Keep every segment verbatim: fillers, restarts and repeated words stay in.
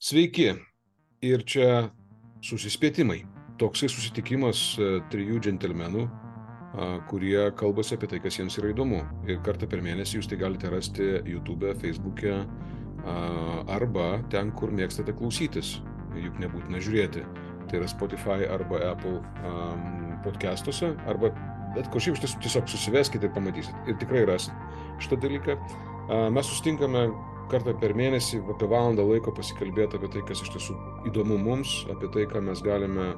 Sveiki, ir čia susispėtimai. Toksai susitikimas trijų džentelmenų, kurie kalbasi apie tai, kas jiems yra įdomu. Ir kartą per mėnesį jūs tai galite rasti YouTube, Facebook'e arba ten, kur mėgstate klausytis. Juk nebūtina žiūrėti. Tai yra Spotify arba Apple podcastuose, arba bet kur šiaip tiesiog susiveskite ir pamatysit. Ir tikrai rasit šitą dalyką. Mes susitinkame kartą per mėnesį apie valandą laiko pasikalbėti apie tai, kas iš tiesų įdomu mums, apie tai, ką mes galime,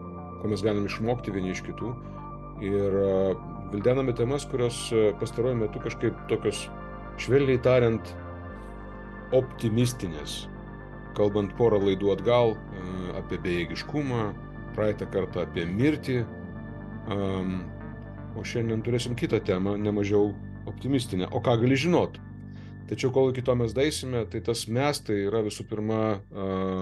ko mes galime išmokti vieni iš kitų. Ir vildename temas, kurios pastaruoju metu kažkaip tokios, švelniai tariant, optimistinės. Kalbant porą laidų atgal apie bejėgiškumą, praeitą kartą apie mirtį, o šiandien turėsim kitą temą, nemažiau optimistinę. O ką gali žinot? Tačiau kol iki to mes daeisime, tai tas mes tai yra visų pirma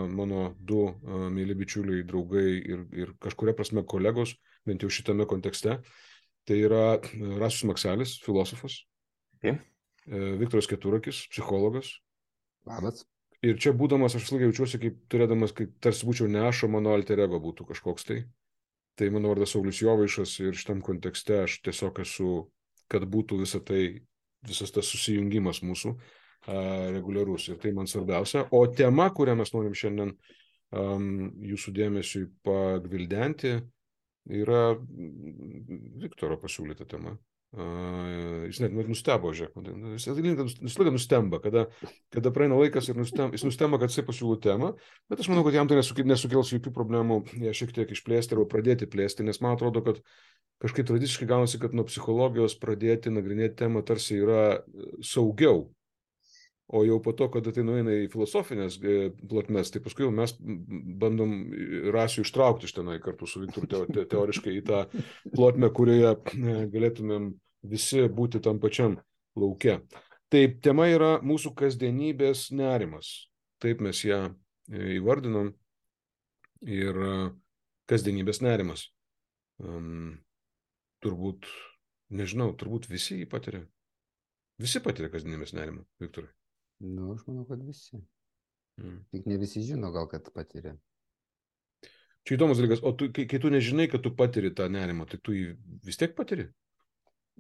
mano du mėly bičiuliai, draugai ir, ir kažkuria prasme kolegos, bent jau šitame kontekste. Tai yra Rasius Makselis, filosofas. Okay. Viktoras Keturakis, psichologas. Labas. Ir čia būdamas, aš visą laiką jaučiuosi, kaip turėdamas, kaip tarsi būčiau ne aš, o mano alter ego būtų kažkoks tai. Tai mano vardas Saulius Jovaišas ir šitam kontekste aš tiesiog esu, kad būtų visą tai, visas tas susijungimas mūsų a, reguliarus. Ir tai man svarbiausia. O tema, kurią mes norim šiandien um, jūsų dėmesiui pagvildenti, yra Viktoro pasiūlyta tema. Uh, jis net nustebo, žiūrėk. Jis visą nustemba, kada, kada praeina laikas ir nustemba, jis nustemba, kad jisai pasiūlo temą, bet aš manau, kad jam tai nesukels jokių problemų ją šiek tiek išplėsti arba pradėti plėsti, nes man atrodo, kad kažkaip tradiciškai gaunasi, kad nuo psichologijos pradėti nagrinėti temą tarsi yra saugiau, o jau po to, kada tai nueina į filosofinės plotmes, tai paskui jau mes bandom Rasių ištraukti iš tenai kartu su Viktoru te, teoriškai į tą plotmę, kurioje galėtumėm visi būti tam pačiam lauke. Tai tema yra mūsų kasdienybės nerimas. Taip mes ją įvardinom. Ir kasdienybės nerimas. Um, turbūt, nežinau, turbūt visi jį patiria. Visi patiria kasdienybės nerimą, Viktorai. Nu, aš manau, kad visi. Mm. Tik ne visi žino, gal kad patiria. Čia įdomus dalykas, o tu, kai, kai tu nežinai, kad tu patiri tą nerimą, tai tu jį vis tiek patiri?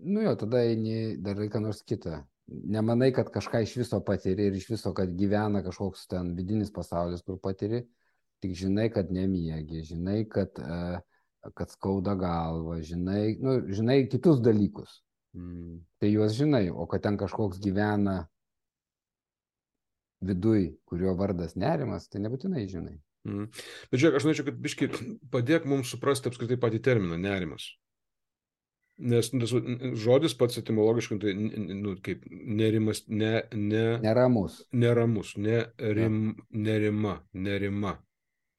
Nu jo, tada eini darai ką nors kitą. Nemanai, kad kažką iš viso patiri ir iš viso, kad gyvena kažkoks ten vidinis pasaulis, kur patiri. Tik žinai, kad nemiegi, žinai, kad, uh, kad skauda galva, žinai, nu, žinai kitus dalykus. Mm. Tai juos žinai, o kad ten kažkoks gyvena viduj, kurio vardas nerimas, tai nebūtinai žinai. Mm. Bet žiūrėk, aš norėčiau, kad biški padėk mums suprasti apskritai patį terminą nerimas. Nes nu, žodis pats etimologiškai, tai nu, kaip nerimas, ne, ne, neramus. Neramus, nerim, nerima, nerima.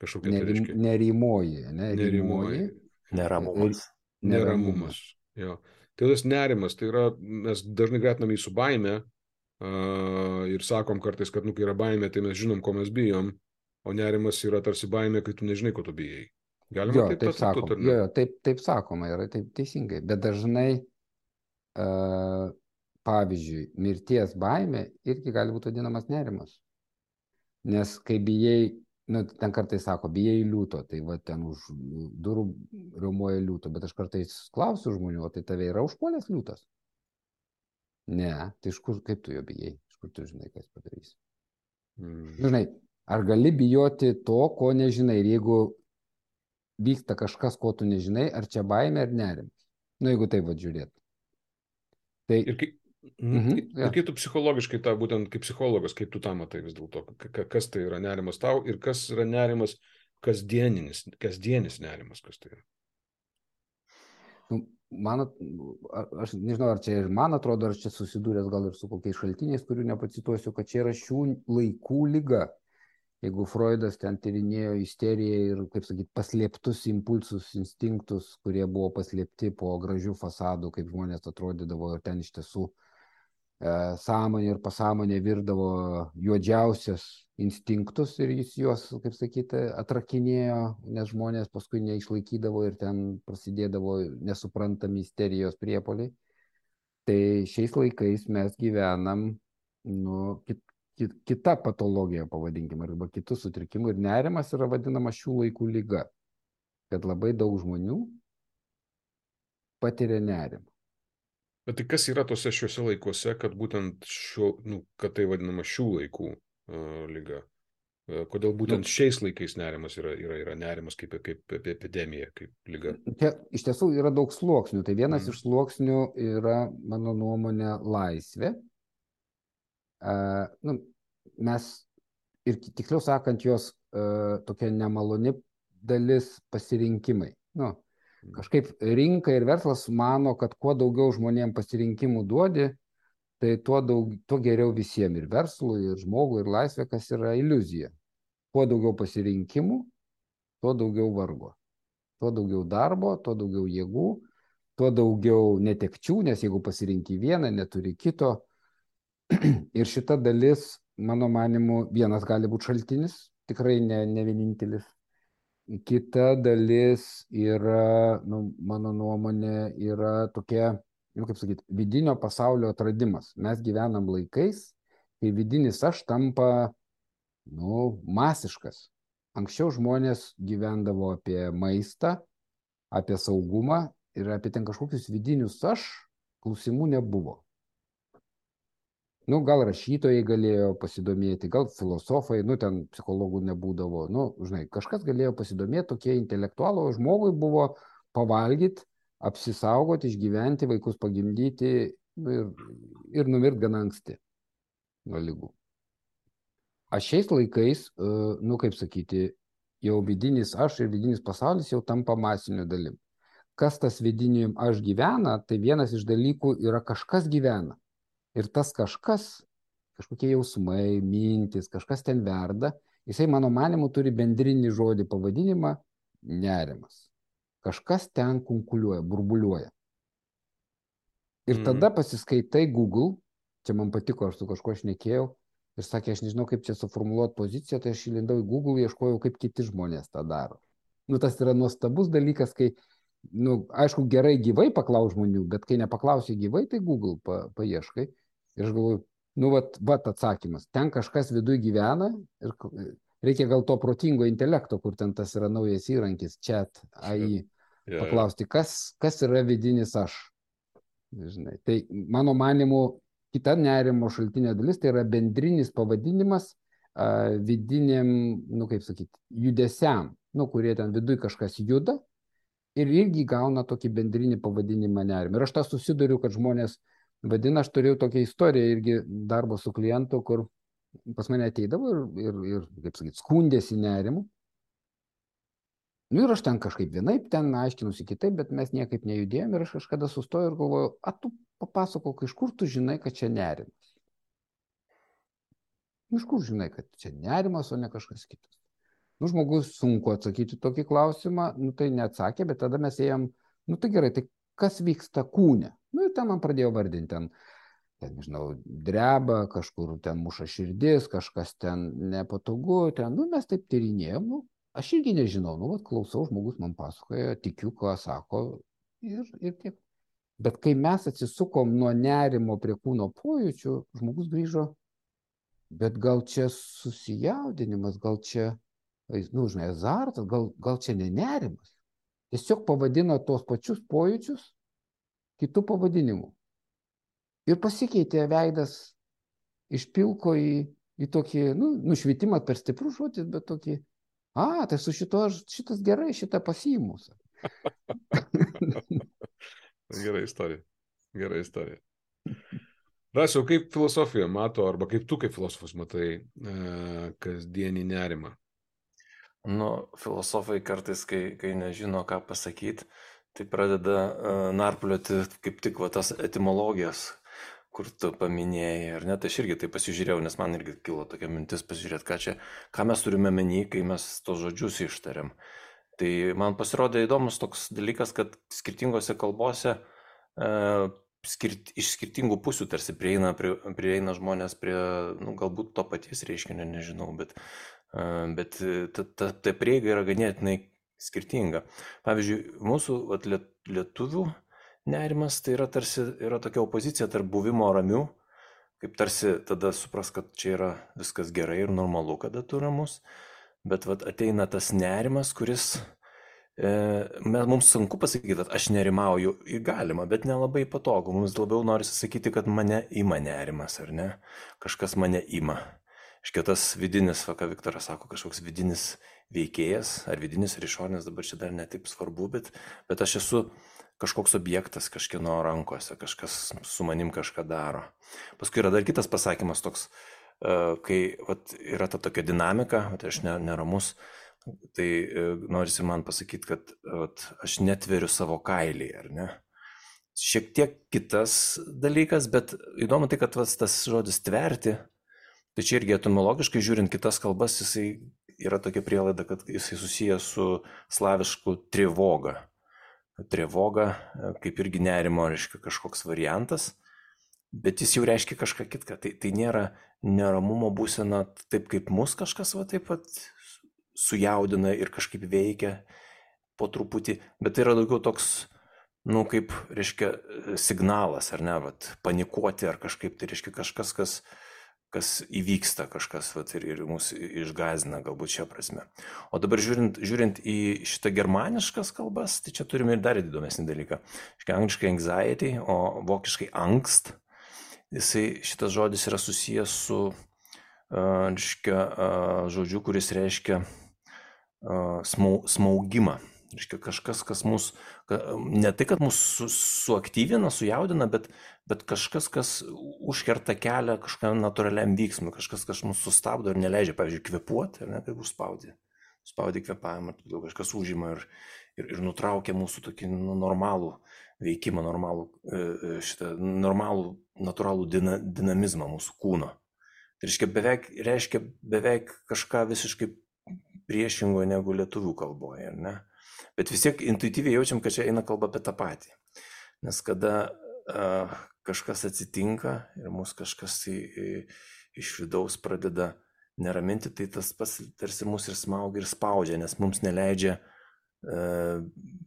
Kažkokia tai reiškia. Nerimoji, ne? Nerimoji. Neramumas. Neramumas. Jo. Tai tas nerimas, tai yra, mes dažnai gretinam jį su baime uh, ir sakom kartais, kad nu, kai yra baimė, tai mes žinom, ko mes bijom, o nerimas yra tarsi baimė, kai tu nežinai, ko tu bijai. Galima jo, taip, taip sakoma. Jo, jo, taip, taip sakoma, yra taip teisingai. Bet dažnai, uh, pavyzdžiui, mirties baimė irgi gali būti vadinamas nerimas. Nes kai bijai, nu, ten kartais sako, bijai liūto, tai va ten už durų riaumoja liūto, bet aš kartais klausiu žmonių, o tai tave yra užpuolęs liūtas? Ne, tai iš kur, kaip tu jo bijai? Iš kur tu žinai, kas padarys? Mm. Žinai, ar gali bijoti to, ko nežinai? Ir jeigu vyksta kažkas, ko tu nežinai, ar čia baimė ar nerimas? Nu, jeigu taip va žiūrėt. Tai... Ir kai, mm, mhm, ir ja. kaip tu psichologiškai, tą, būtent kaip psichologas, kaip tu tą matai vis dėlto, kas tai yra nerimas tau ir kas yra nerimas kasdieninis, kasdienis nerimas, kas tai yra? Nu, man, aš nežinau, ar čia ir man atrodo, ar čia susidūręs gal ir su kokiais šaltiniais, kurių nepacituosiu, kad čia yra šių laikų liga. Jeigu Freudas ten tyrinėjo isteriją ir, kaip sakyt, paslėptus impulsus, instinktus, kurie buvo paslėpti po gražių fasadų, kaip žmonės atrodydavo ir ten iš tiesų e, sąmonė ir pasąmonė virdavo juodžiausias instinktus ir jis juos, kaip sakyti, atrakinėjo, nes žmonės paskui neišlaikydavo ir ten prasidėdavo nesuprantami isterijos priepuoliai. Tai šiais laikais mes gyvenam nu, kit, kita patologija, pavadinkime, arba kitų sutrikimų. Ir nerimas yra vadinama šių laikų lyga, kad labai daug žmonių patiria nerimą. Bet tai kas yra tose šiuose laikuose, kad būtent šio, nu, kad tai vadinama šių laikų uh, lyga? Kodėl būtent nu, šiais laikais nerimas yra, yra, yra nerimas kaip, kaip, kaip epidemija, kaip lyga? Čia iš tiesų yra daug sluoksnių. Tai vienas mm. iš sluoksnių yra, mano nuomonė, laisvė. Uh, nu, mes, ir tiksliau sakant, jos uh, tokia nemaloni dalis pasirinkimai. Nu, mm. Kažkaip rinka ir verslas mano, kad kuo daugiau žmonėms pasirinkimų duodi, tai tuo, daug, tuo geriau visiems, ir verslui, ir žmogui, ir laisvė, kas yra iliuzija. Kuo daugiau pasirinkimų, tuo daugiau vargo. Tuo daugiau darbo, tuo daugiau jėgų, tuo daugiau netekčių, nes jeigu pasirinki vieną, neturi kito. Ir šita dalis, mano manimu, vienas gali būti šaltinis, tikrai ne, ne vienintelis. Kita dalis yra, nu, mano nuomonė, yra tokia, nu, kaip sakyti, vidinio pasaulio atradimas. Mes gyvenam laikais, kai vidinis aš tampa nu, masiškas. Anksčiau žmonės gyvendavo apie maistą, apie saugumą ir apie ten kažkokius vidinius aš klausimų nebuvo. Nu, gal rašytojai galėjo pasidomėti, gal filosofai, nu, ten psichologų nebūdavo. Nu, žinai, kažkas galėjo pasidomėti, tokie intelektualų, žmogui buvo pavalgyti, apsisaugoti, išgyventi, vaikus pagimdyti nu, ir, ir numirti gana anksti nuo ligų. Aš šiais laikais, nu kaip sakyti, jau vidinis aš ir vidinis pasaulis jau tampa masiniu dalim. Kas tas vidiniu aš gyvena, tai vienas iš dalykų yra kažkas gyvena. Ir tas kažkas, kažkokie jausmai, mintis, kažkas ten verda, jisai mano manimu turi bendrinį žodį pavadinimą nerimas. Kažkas ten kunkuliuoja, burbuliuoja. Ir mm. tada pasiskaitai Google, čia man patiko, aš su kažkuo šnekėjau, ir sakė, aš nežinau, kaip čia suformuluoti poziciją, tai aš įlindau į Google, ieškojau, kaip kiti žmonės tą daro. Nu, tas yra nuostabus dalykas, kai, nu, aišku, gerai gyvai paklaus žmonių, bet kai nepaklausi gyvai, tai Google pa, paieškai. Ir aš galvoju, nu, vat, vat atsakymas. Ten kažkas viduj gyvena ir reikia gal to protingo intelekto, kur ten tas yra naujas įrankis, chat, A I, yeah. Paklausti, kas, kas yra vidinis aš. Žinai. Tai mano manimu, kita nerimo šaltinė dalis, tai yra bendrinis pavadinimas a, vidiniam, nu kaip sakyti, judesiam, nu, kurie ten viduj kažkas juda ir irgi gauna tokį bendrinį pavadinimą nerimą. Ir aš tą susiduriu, kad žmonės vadina, aš turėjau tokią istoriją irgi darbo su klientu, kur pas mane ateidavo ir, ir, ir kaip sakyti, skundėsi nerimu. Nu ir aš ten kažkaip vienaip, ten aiškinusi kitaip, bet mes niekaip nejudėjom ir aš kažkada sustojau ir galvojau, a tu papasakok, iš kur tu žinai, kad čia nerimas? Iš kur žinai, kad čia nerimas, o ne kažkas kitas? Nu, žmogus sunku atsakyti tokį klausimą, nu tai neatsakė, bet tada mes ėjom, nu tai gerai, tai kas vyksta kūne? Nu ir ten man pradėjo vardinti, ten, ten, nežinau, dreba, kažkur ten muša širdis, kažkas ten nepatogu, ten, nu mes taip tyrinėjom, nu. Aš irgi nežinau, nu, vat, klausau, žmogus man pasakoja, tikiu, ką sako ir, ir tiek. Bet kai mes atsisukom nuo nerimo prie kūno pojūčių, žmogus grįžo, bet gal čia susijaudinimas, gal čia, nu, žinai, azartas, gal, gal čia ne nerimas. Tiesiog pavadino tos pačius pojūčius kitų pavadinimų. Ir pasikeitė veidas iš pilko į, į tokį, nu, nušvitimas per stiprus žodis, bet tokį, a, tai su šito, šitas gerai, šitą pasiimus. Gerai istorija. Gerai istorija. Rasiau, kaip filosofija mato, arba kaip tu kaip filosofas matai e, kasdienį nerimą? Nu, filosofai kartais, kai, kai nežino, ką pasakyti, tai pradeda uh, narplioti kaip tik va, tas etimologijas, kur tu paminėjai, ar ne, tai aš irgi tai pasižiūrėjau, nes man irgi kilo tokia mintis pasižiūrėti, ką čia, ką mes turime menį, kai mes tos žodžius ištariam. Tai man pasirodė įdomus toks dalykas, kad skirtingose kalbose e, skirt, iš skirtingų pusių tarsi prieina, prie, prieina žmonės prie, nu, galbūt to paties reiškinio, nežinau, bet, e, bet ta, ta, ta prieiga yra ganėtinai skirtinga. Pavyzdžiui, mūsų vat, liet, lietuvių nerimas tai yra tarsi yra tokia opozicija tarp buvimo ramių, kaip tarsi tada supras, kad čia yra viskas gerai ir normalu, kada tu ramus, bet vat ateina tas nerimas, kuris, e, mums sunku pasakyti, kad aš nerimauju, galima, bet nelabai patogu, mums labiau norisi sakyti, kad mane ima nerimas, ar ne, kažkas mane ima. Iškėtas vidinis, va, ką Viktoras sako, kažkoks vidinis veikėjas, ar vidinis ar išorinis, dabar čia dar netaip svarbu, bet, bet aš esu kažkoks objektas kažkieno rankose, kažkas su manim kažką daro. Paskui yra dar kitas pasakymas toks, kai vat, yra ta tokia dinamika, vat, aš neramus, tai norisi man pasakyti, kad vat, aš netveriu savo kailį, ar ne? Šiek tiek kitas dalykas, bet įdomu tai, kad vat, tas žodis tverti, tai čia irgi etimologiškai žiūrint kitas kalbas, jisai yra tokia prielaida, kad jisai susijęs su slavišku trivoga. Trevoga, kaip irgi nerimo, reiškia kažkoks variantas, bet jis jau reiškia kažką kitką. Tai, tai nėra neramumo būsena taip, kaip mus kažkas va, taip pat sujaudina ir kažkaip veikia po truputį, bet tai yra daugiau toks, nu, kaip, reiškia, signalas, ar ne, vat, panikuoti ar kažkaip, tai reiškia kažkas, kas kas įvyksta kažkas vat, ir, ir mus išgąsdina galbūt šią prasme. O dabar žiūrint, žiūrint į šitą germaniškas kalbas, tai čia turime ir dar įdomesnį dalyką. Škai angliškai anxiety, o vokiškai angst, jisai, šitas žodis yra susijęs su uh, reiškia, uh, žodžiu, kuris reiškia uh, smau, smaugimą. Reiškia kažkas, kas mus, ne tai, kad mus su, suaktyvina, sujaudina, bet, bet kažkas, kas užkerta kelią kažkam natūraliam vyksmui, kažkas, kas mus sustabdo ir neleidžia, pavyzdžiui, kvėpuoti, ar ne, kaip užspaudė. Spaudė kvėpavimą, kažkas užima ir, ir, ir nutraukia mūsų tokį nu, normalų veikimą, normalų, šitą, normalų natūralų dina, dinamizmą mūsų kūno. Tai reiškia beveik, reiškia beveik kažką visiškai priešingo negu lietuvių kalboje, ar ne? Bet vis tiek intuityviai jaučiam, kad čia eina kalba apie tą patį. Nes kada uh, kažkas atsitinka ir mus kažkas tai, iš vidaus pradeda neraminti, tai tas pas tarsi mus ir smaugia ir spaudžia, nes mums neleidžia uh,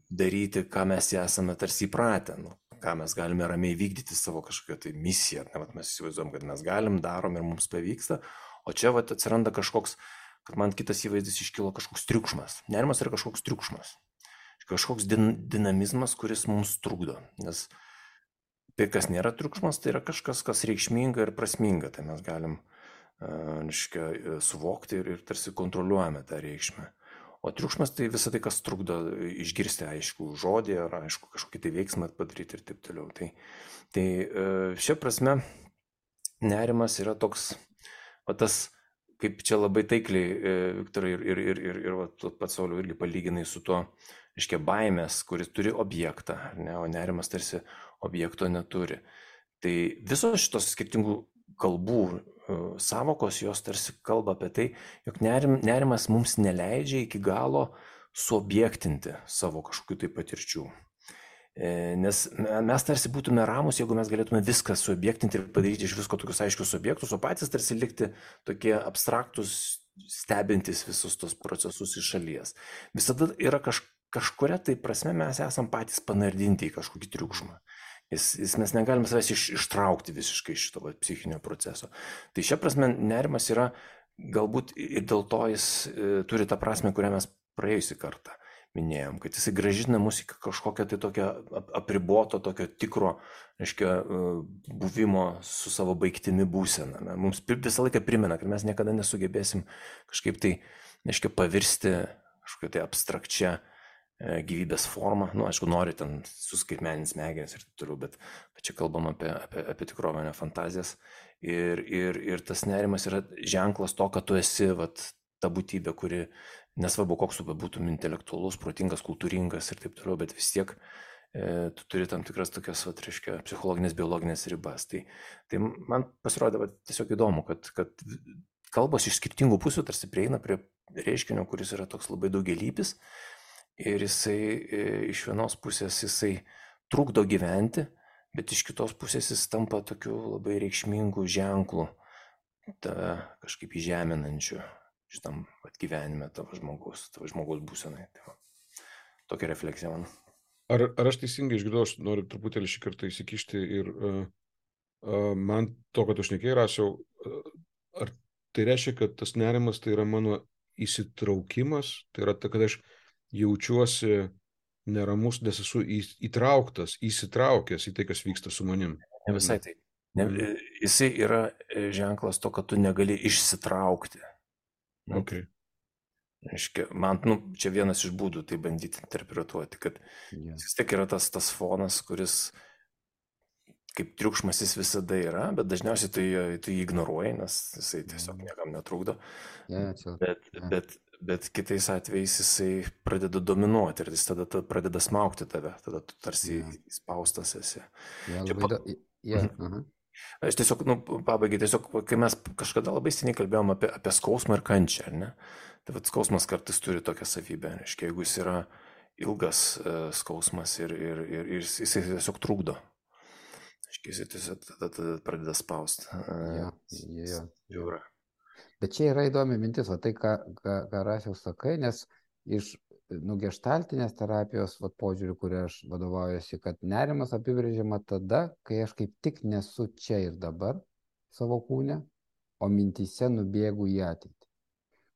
daryti, ką mes esame tarsi įpratę, nu, ką mes galime ramiai vykdyti savo kažkokią tai misiją. Ne, vat mes įsivaizduojam, kad mes galim, darom ir mums pavyksta, o čia vat atsiranda kažkoks, kad man kitas įvaizdis iškilo kažkoks triukšmas. Nerimas yra kažkoks triukšmas. Kažkoks din, dinamizmas, kuris mums trukdo. Nes tai, kas nėra triukšmas, tai yra kažkas, kas reikšminga ir prasminga. Tai mes galim uh, reiškia, suvokti ir, ir tarsi kontroliuojame tą reikšmę. O triukšmas tai visą tai, kas trukdo išgirsti aišku žodį ar aišku kažkokį tai veiksmą padaryti ir taip toliau. Tai, tai uh, šia prasme nerimas yra toks, o tas, kaip čia labai taikliai, Viktorai, ir, ir, ir, ir, ir va, pats Sauliau irgi palyginai su tuo, reiškia baimės, kuris turi objektą, ne, o nerimas tarsi objekto neturi. Tai visos šitos skirtingų kalbų uh, savokos, jos tarsi kalba apie tai, jog nerim, nerimas mums neleidžia iki galo suobjektinti savo kažkokių tai patirčių. E, nes mes tarsi būtume ramus, jeigu mes galėtume viską suobjektinti ir padaryti iš visko tokius aiškius objektus, o patys tarsi likti tokie abstraktus, stebintis visus tos procesus iš šalies. Visada yra kažkas, kažkuria tai prasme mes esam patys panardinti į kažkokį triukšmą. Jis, jis mes negalime savęs iš, ištraukti visiškai iš šito va, psichinio proceso. Tai šia prasme nerimas yra, galbūt ir dėl to jis e, turi tą prasme, kurią mes praėjusį kartą minėjom, kad jisai grąžina mus į kažkokią tai tokią apriboto, tokio tikro, reiškia, buvimo su savo baigtimi būseną. Mums visą laiką primena, kad mes niekada nesugebėsim kažkaip tai, reiškia, pavirsti kažkokią tai abstrakčią gyvybės formą, nu, aišku, nori ten suskaitmenint smegenis ir taip toliau, bet, bet čia kalbam apie, apie, apie tikrovę, ne fantazijas. Ir, ir, ir tas nerimas yra ženklas to, kad tu esi vat, ta būtybė, kuri, nesvarbu, koks tu būtum intelektualus, protingas, kultūringas ir taip toliau, bet vis tiek e, tu turi tam tikras tokias, vat, reiškia, psichologinės, biologinės ribas. Tai, tai man pasirodė vat, tiesiog įdomu, kad, kad kalbos iš skirtingų pusių tarsi prieina prie reiškinio, kuris yra toks labai daugialypis. Ir jisai e, iš vienos pusės jisai trukdo gyventi, bet iš kitos pusės jis tampa tokiu labai reikšmingu ženklu, tave kažkaip įžeminančiu šitam gyvenime tavo žmogaus, tavo žmogaus būsenai. Tai tokia refleksija man. Ar, ar aš teisingai išgirdau, aš noriu truputėlį šį kartą įsikišti ir uh, Man to, kad aš nekėjai rasiau, ar tai reiškia, kad tas nerimas tai yra mano įsitraukimas, tai yra ta, kad aš jaučiuosi neramus, nes esu įtrauktas, įsitraukęs į tai, kas vyksta su manim. Ne visai tai. Ne, Mhm. Jisai yra ženklas to, kad tu negali išsitraukti. Nu, Okay. Reiškia, man, nu, čia vienas iš būdų tai bandyti interpretuoti, kad Yeah. vis tiek yra tas, tas fonas, kuris kaip triukšmas jis visada yra, bet dažniausiai tu jį, tu jį ignoruoji, nes jisai tiesiog niekam netrukdo. Yeah, čia, Bet, yeah. bet, bet kitais atvejais jisai pradeda dominuoti ir jis tada ta, pradeda smaugti tave, tada tu tarsi Yeah. įspaustas esi. Yeah, Čia labai pa- da... yeah. uh-huh. Aš tiesiog, nu, pabaigai, tiesiog, kai mes kažkada labai seniai kalbėjom apie, apie skausmą ir kančią, ar ne? Tai vat skausmas kartais turi tokią savybę, reiškia, jeigu jis yra ilgas uh, skausmas ir, ir, ir, ir jis jisai tiesiog trukdo. Reiškia, jisai tiesiog tada, tada pradeda spausti. Yeah, yeah, Žiūra. Bet čia yra įdomi mintis, va tai, ką, ką, ką Rasiau sakai, nes iš nugestaltinės terapijos vat, požiūrių, kurį aš vadovaujuosi, kad nerimas apibrėžiama tada, kai aš kaip tik nesu čia ir dabar savo kūne, o mintyse nubėgu į ateitį.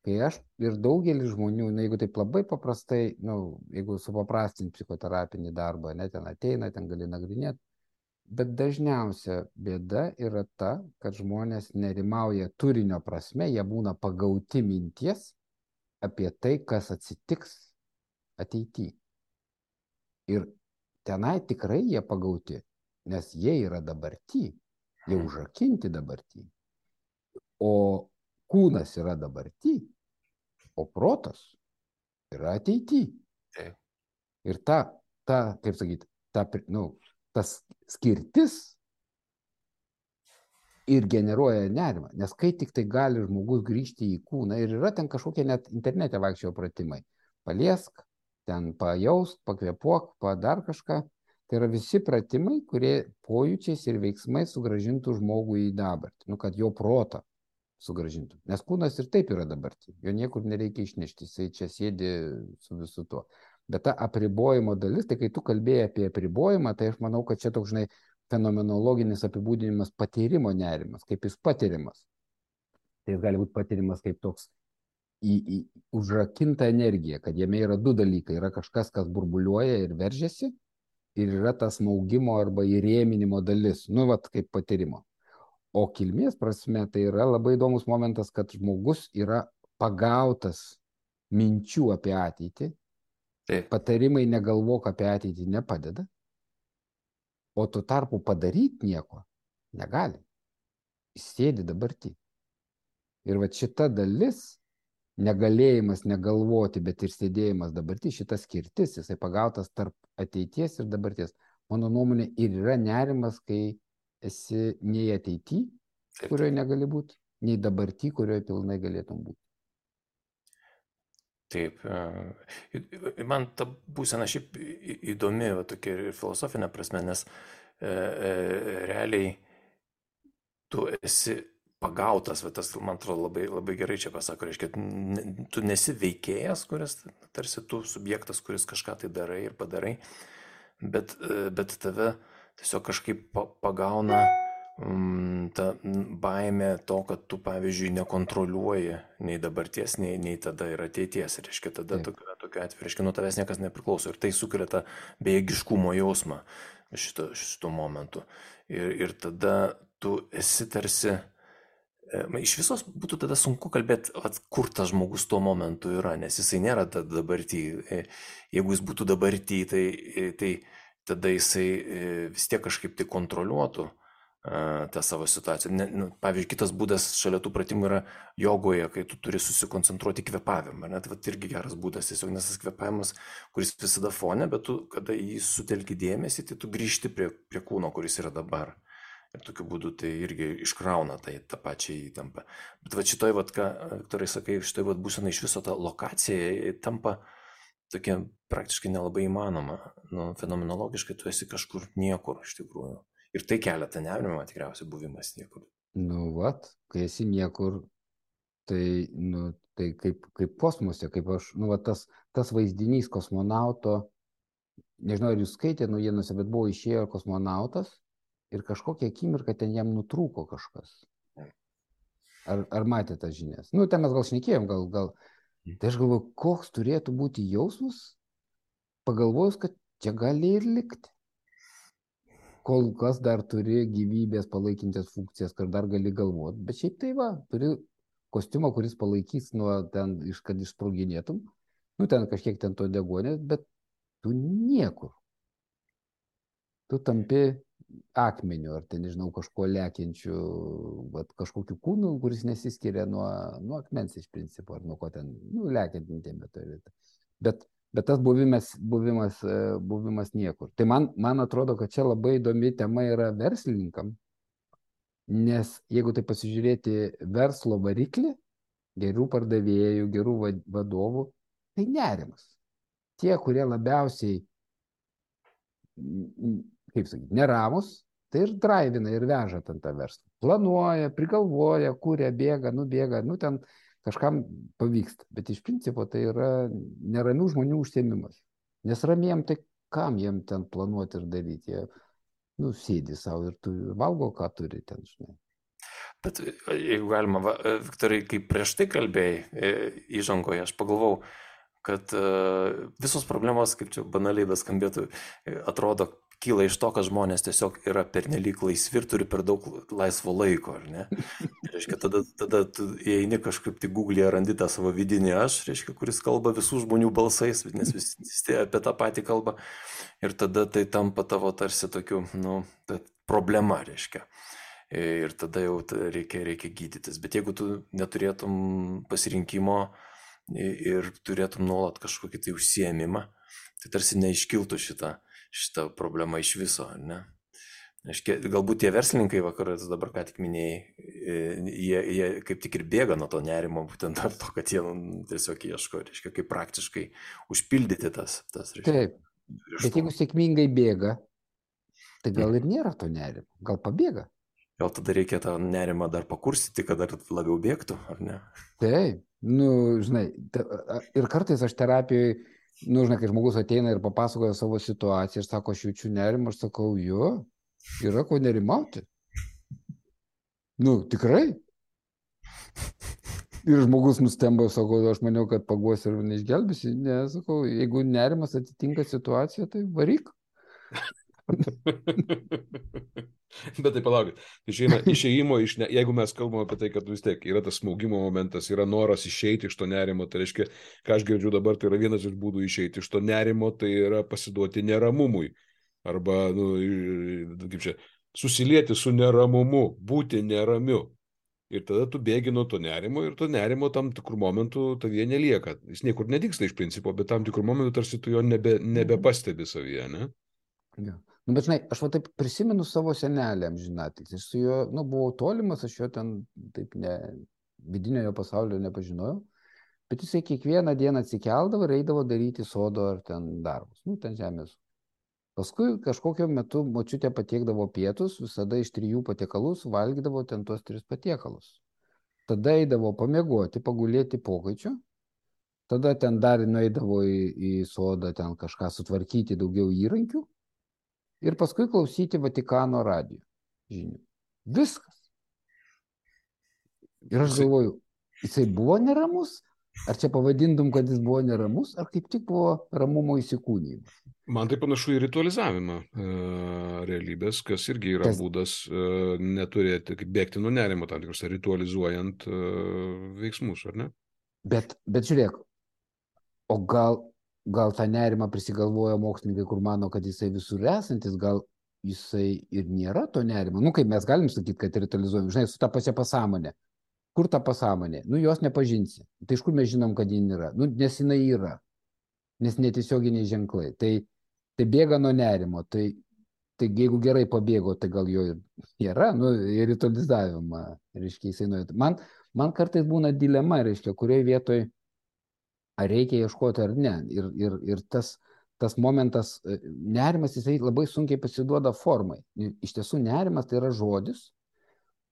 Kai aš ir daugelis žmonių, na, jeigu taip labai paprastai, nu, jeigu supaprastinti psichoterapinį darbą, ne, ten ateina, ten gali nagrinėti, bet dažniausia bėda yra ta, kad žmonės nerimauja turinio prasme, jie būna pagauti minties apie tai, kas atsitiks ateityje. Ir tenai tikrai jie pagauti, nes jie yra dabartį, jie užrakinti dabartį. O kūnas yra dabartį, o protas yra ateitį. Taip. Ir ta, ta kaip sakyti, ta, nu, tas skirtis ir generuoja nerimą, nes kai tik tai gali žmogus grįžti į kūną ir yra ten kažkokie net internete vaikščiojo pratimai, paliesk, ten pajausk, pakvėpuok, padar kažką, tai yra visi pratimai, kurie pojūčiais ir veiksmais sugrąžintų žmogų į dabartį, nu, kad jo protą sugrąžintų, nes kūnas ir taip yra dabartį, jo niekur nereikia išnešti, jisai čia sėdi su visu tuo. Bet ta apribojimo dalis, tai kai tu kalbėjai apie apribojimą, tai aš manau, kad čia toks, žinai, fenomenologinis apibūdinimas patyrimo nerimas, kaip jis patirimas. Tai jis gali būti patirimas kaip toks į, į užrakinta energija, kad jame yra du dalykai. Yra kažkas, kas burbuliuoja ir veržiasi, ir yra tas maugimo arba įrėminimo dalis, nu, vat, kaip patyrimo. O kilmės prasme tai yra labai įdomus momentas, kad žmogus yra pagautas minčių apie ateitį. Taip. Patarimai negalvok apie ateitį nepadeda. O tuo tarpu padaryti nieko negali. Jis sėdi dabartį. Ir va šita dalis, negalėjimas negalvoti, bet ir sėdėjimas dabartį, šita skirtis, jisai pagautas tarp ateities ir dabarties. Mano nuomonė ir yra nerimas, kai esi nei ateity, kurioje negali būti, nei dabarty, kurioje pilnai galėtum būti. Taip, man ta būsena šiaip įdomi, va, tokia ir filosofinė prasme, nes e, e, realiai tu esi pagautas, va, tas, man atrodo, labai, labai gerai čia pasako, reiškia, tu nesi veikėjas, kuris, tarsi tu subjektas, kuris kažką tai darai ir padarai, bet, bet tave tiesiog kažkaip pagauna ta baimė to, kad tu, pavyzdžiui, nekontroliuoji nei dabarties, nei, nei tada ir ateities. Reiškia, tada tokiu, tokiu atveju, reiškia, nuo tavęs niekas nepriklauso. Ir tai sukelia tą bejėgiškumo jausmą šito, šito momentu. Ir, ir tada tu esi tarsi, iš visos būtų tada sunku kalbėti, at, kur tas žmogus tuo momentu yra, nes jisai nėra dabartį. Jeigu jis būtų dabartį, tai, tai tada jisai vis tiek kažkaip tai kontroliuotų tą savo situaciją. Ne, nu, pavyzdžiui, kitas būdas šalia tų pratimų yra jogoje, kai tu turi susikoncentruoti kvėpavimą. Net vat irgi geras būdas, tiesiog nes tas kvėpavimas, kuris visada fone, bet tu, kada jį sutelki dėmesį, tai tu grįžti prie, prie kūno, kuris yra dabar. Ir tokiu būdu tai irgi iškrauna tai tą pačią įtampą. Bet va šitoj, vat, ką, Viktorai, sakai, šitoj vat būsena iš viso ta lokacija tampa tokia praktiškai nelabai įmanoma. Nu, fenomenologiškai tu esi kažkur niekur iš tikrųjų. Ir tai kelia tą nerimą, tikriausiai buvimas niekur. Nu, vat, kai esi niekur, tai, nu, tai kaip, kaip kosmose, kaip aš, nu, vat, tas, tas vaizdinys kosmonauto, nežinau, ar jūs skaitėte naujienose, bet buvo išėjo kosmonautas ir kažkokią akimirką ten jam nutrūko kažkas. Ar, ar matė tas žinias? Nu, ten mes gal šnekėjom, gal, gal. Tai aš galvoju, koks turėtų būti jausmas, pagalvojus, kad čia gali ir likti. Kol kas dar turi gyvybės palaikintis funkcijas, kad dar gali galvoti. Bet šiaip tai va, turi kostiumą, kuris palaikys nuo ten, kad išsproginėtum. Nu, ten kažkiek ten to degonės, bet tu niekur. Tu tampi akmeniu, ar tai, nežinau, kažko lekiančiu, bet kažkokiu kūnu, kuris nesiskiria nuo, nuo akmens iš principo, ar nuo ko ten, nu, lekiantintė meteorita. Bet, bet tas buvimas, buvimas, buvimas niekur. Tai man, man atrodo, kad čia labai įdomi tema yra verslininkam, nes jeigu tai pasižiūrėti verslo variklį, gerų pardavėjų, gerų vadovų, tai nerimas. Tie, kurie labiausiai, kaip sakyti, neramus, tai ir draivina, ir veža ten tą verslą. Planuoja, prigalvoja, kuria, bėga, nubėga, nu ten kažkam pavyksta. Bet iš principo tai yra neramių žmonių užsiėmimas. Nes ramiem, tai kam jiem ten planuoti ir daryti? Jie, nu, sėdi savo ir tu valgo, ką turi ten, žinai. Bet jeigu galima, va, Viktorai, kaip prieš tai kalbėjai įžangoje, aš pagalvau, kad visos problemos, kaip čia banaliai beskambėtų, atrodo, kyla iš to, kad žmonės tiesiog yra pernelyg laisvi ir turi per daug laisvo laiko, ar ne? Reiškia, tada, tada tu įeini kažkaip tai Google'e, randi tą savo vidinį aš, reiškia, kuris kalba visų žmonių balsais, nes visi apie tą patį kalbą, ir tada tai tampa tavo tarsi tokiu, nu, problema, reiškia. Ir tada jau reikia, reikia gydytis. Bet jeigu tu neturėtum pasirinkimo ir turėtum nuolat kažkokį tai užsiėmimą, tai tarsi neiškiltų šitą, šitą problemą iš viso, ne? Aiškia, galbūt tie verslininkai, vakaras dabar ką tik minėjai, jie, jie kaip tik ir bėga nuo to nerimo, būtent dėl to, kad jie tiesiog ieško, reiškia, kaip praktiškai užpildyti tas, tas reiškia. Taip, bet jeigu sėkmingai bėga, tai gal ir nėra to nerimo, gal pabėga. Gal tada reikia tą nerimą dar pakursyti, kad dar labiau bėgtų, ar ne? Taip, nu, žinai, ir kartais aš terapijoje, nu, žinai, kai žmogus ateina ir papasakoja savo situaciją ir sako, aš jaučiu nerimą, aš sakau, jo, yra ko nerimauti. Nu, tikrai. Ir žmogus nustemba, sako, aš maniau, kad paguos ir neišgelbėsi. Ne, sakau, jeigu nerimas atitinka situaciją, tai varyk. Bet tai palaukit, išeina išėjimo, iš ne... jeigu mes kalbame apie tai, kad vis tiek yra tas smaugimo momentas, yra noras išeiti iš to nerimo, tai reiškia, ką aš girdžiu dabar, tai yra vienas iš būdų išeiti iš to nerimo, tai yra pasiduoti neramumui. Arba, nu, kaip čia, susilieti su neramumu, būti neramiu. Ir tada tu bėgi nuo to nerimo ir to nerimo tam tikrų momentų tavyje nelieka. Jis niekur nedingsta iš principo, bet tam tikrų momentų tarsi tu jo nebe, nebepastebi savyje, ne? Ja. Nu, bet žinai, aš va taip prisimenu savo senelį amžinatilsį. Aš su juo, nu, buvau tolimas, aš jo ten taip ne, vidinio jo pasaulio nepažinojau, bet jisai kiekvieną dieną atsikeldavo ir eidavo daryti sodo ar ten darbus, nu, ten žemės. Paskui kažkokio metu močiutė patiekdavo pietus, visada iš trijų patiekalų valgydavo ten tuos tris patiekalus. Tada eidavo pamiegoti, pagulėti pokaičiu, tada ten dar nueidavo į, į sodą ten kažką sutvarkyti, daugiau įrankių. Ir paskui klausyti Vatikano radijo žinių. Viskas. Ir aš galvoju, jisai buvo neramus? Ar čia pavadintum, kad jis buvo neramus? Ar kaip tik buvo ramumo įsikūnymas? Man tai panašu į ritualizavimą e, realybės, kas irgi yra kas... būdas e, neturėti, bėgti nuo nerimo, tam tikrus ritualizuojant e, veiksmus, ar ne? Bet, bet žiūrėk, o gal... Gal tą nerimą prisigalvoja mokslininkai, kur mano, kad jisai visur esantis, gal jisai ir nėra to nerimo. Nu, kaip mes galim sakyti, kad ritualizuojam, žinai, su ta pačia pasąmonė. Kur ta pasąmonė? Nu, jos nepažinsi. Tai iš kur mes žinom, kad ji nėra? Nu, nes jinai yra. Nes netiesioginiai ženklai. Tai, tai bėga nuo nerimo. Tai, tai jeigu gerai pabėgo, tai gal jo ir yra. Nu, ir ritualizavimą, reiškia, jisai nuėjo. Man, man kartais būna dilema, reiškia, kurioje vietoje ar reikia ieškoti ar ne. Ir, ir, ir tas, tas momentas, nerimas, jisai labai sunkiai pasiduoda formai. Iš tiesų, nerimas tai yra žodis,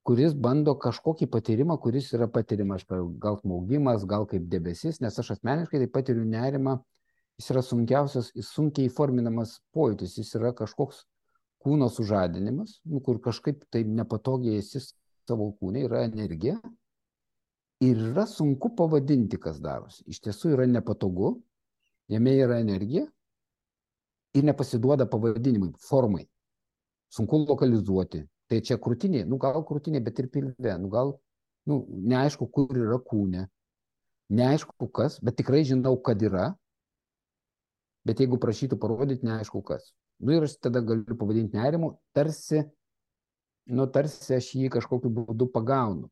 kuris bando kažkokį patyrimą, kuris yra patirimas, gal smaugimas, gal kaip debesis, nes aš asmeniškai tai patiriu nerimą, jis yra sunkiausias, jis sunkiai įforminamas pojūtis, jis yra kažkoks kūno sužadinimas, nu, kur kažkaip tai nepatogiai esi savo kūne, yra energija. Ir yra sunku pavadinti, kas darosi. Iš tiesų yra nepatogu, jame yra energija ir nepasiduoda pavadinimui, formai. Sunku lokalizuoti. Tai čia krūtinė, nu gal krūtinė, bet ir pilve, nu gal, nu, neaišku, kur yra kūne, neaišku kas, bet tikrai žinau, kad yra, bet jeigu prašytų parodyti, neaišku kas. Nu ir aš tada galiu pavadinti nerimu, tarsi, nu tarsi aš jį kažkokiu būdu pagaunu.